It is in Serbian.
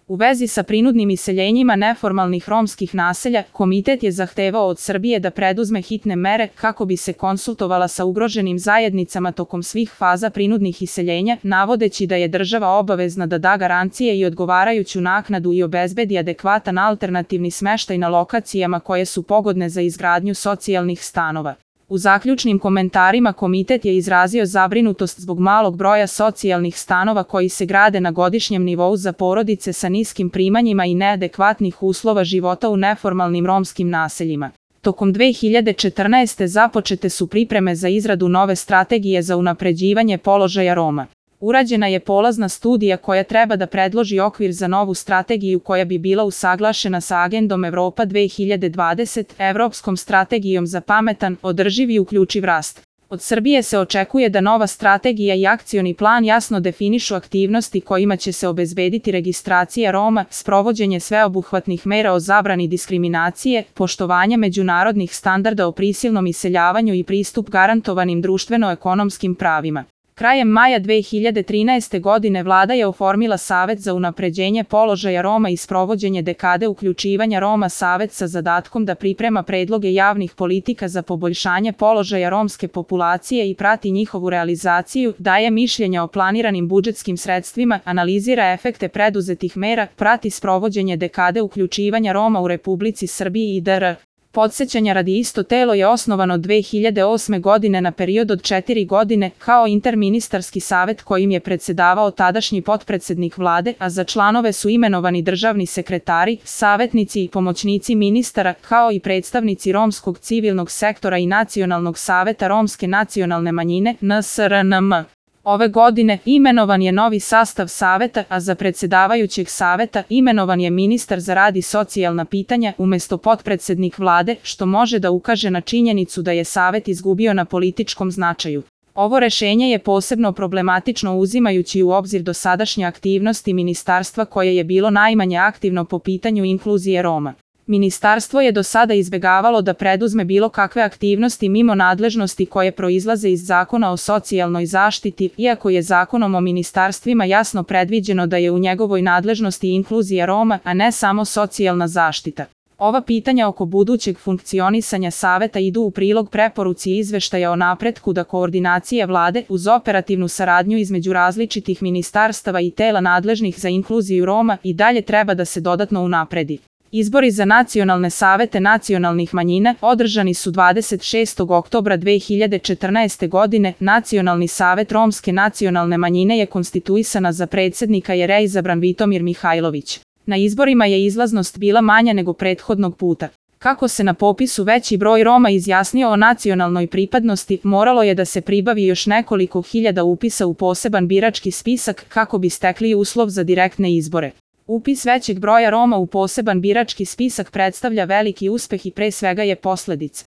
U vezi sa prinudnim iseljenjima neformalnih romskih naselja, komitet je zahtevao od Srbije da preduzme hitne mere kako bi se konsultovala sa ugroženim zajednicama tokom svih faza prinudnih iseljenja, navodeći da je država obavezna da da garancije i odgovarajuću naknadu i obezbedi adekvatan alternativni smeštaj na lokacijama koje su pogodne za izgradnju socijalnih stanova. U zaključnim komentarima komitet je izrazio zabrinutost zbog malog broja socijalnih stanova koji se grade na godišnjem nivou za porodice sa niskim primanjima i neadekvatnih uslova života u neformalnim romskim naseljima. Tokom 2014. započete su pripreme za izradu nove strategije za unapređivanje položaja Roma. Urađena je polazna studija koja treba da predloži okvir za novu strategiju koja bi bila usaglašena sa agendom Evropa 2020, Evropskom strategijom za pametan, održiv i uključiv rast. Od Srbije se očekuje da nova strategija i akcioni plan jasno definišu aktivnosti kojima će se obezbediti registracija Roma, sprovođenje sveobuhvatnih mera o zabrani diskriminacije, poštovanje međunarodnih standarda o prisilnom iseljavanju i pristup garantovanim društveno-ekonomskim pravima. Krajem maja 2013. godine vlada je oformila Savet za unapređenje položaja Roma i sprovođenje dekade uključivanja Roma. Savet sa zadatkom da priprema predloge javnih politika za poboljšanje položaja romske populacije i prati njihovu realizaciju, daje mišljenja o planiranim budžetskim sredstvima, analizira efekte preduzetih mera, prati sprovođenje dekade uključivanja Roma u Republici Srbiji i dr. Podsećanja radi, isto telo je osnovano 2008. godine na period od 4 godine kao interministarski savet kojim je predsedavao tadašnji potpredsednik vlade, a za članove su imenovani državni sekretari, savetnici i pomoćnici ministara, kao i predstavnici romskog civilnog sektora i Nacionalnog saveta romske nacionalne manjine (NSRNM). Ove godine imenovan je novi sastav saveta, a za predsedavajućeg saveta imenovan je ministar za rad i socijalna pitanja umesto potpredsednik vlade, što može da ukaže na činjenicu da je savet izgubio na političkom značaju. Ovo rešenje je posebno problematično uzimajući u obzir dosadašnje aktivnosti ministarstva koje je bilo najmanje aktivno po pitanju inkluzije Roma. Ministarstvo je do sada izbegavalo da preduzme bilo kakve aktivnosti mimo nadležnosti koje proizlaze iz Zakona o socijalnoj zaštiti, iako je Zakonom o ministarstvima jasno predviđeno da je u njegovoj nadležnosti inkluzija Roma, a ne samo socijalna zaštita. Ova pitanja oko budućeg funkcionisanja saveta idu u prilog preporuci izveštaja o napretku da koordinacija vlade uz operativnu saradnju između različitih ministarstava i tela nadležnih za inkluziju Roma i dalje treba da se dodatno unapredi. Izbori za nacionalne savete nacionalnih manjina održani su 26. oktobra 2014. godine. Nacionalni savet romske nacionalne manjine je konstituisana za predsednika je reizabran Vitomir Mihajlović. Na izborima je izlaznost bila manja nego prethodnog puta. Kako se na popisu veći broj Roma izjasnio o nacionalnoj pripadnosti, moralo je da se pribavi još nekoliko hiljada upisa u poseban birački spisak kako bi stekli uslov za direktne izbore. Upis većeg broja Roma u poseban birački spisak predstavlja veliki uspeh i pre svega je posledica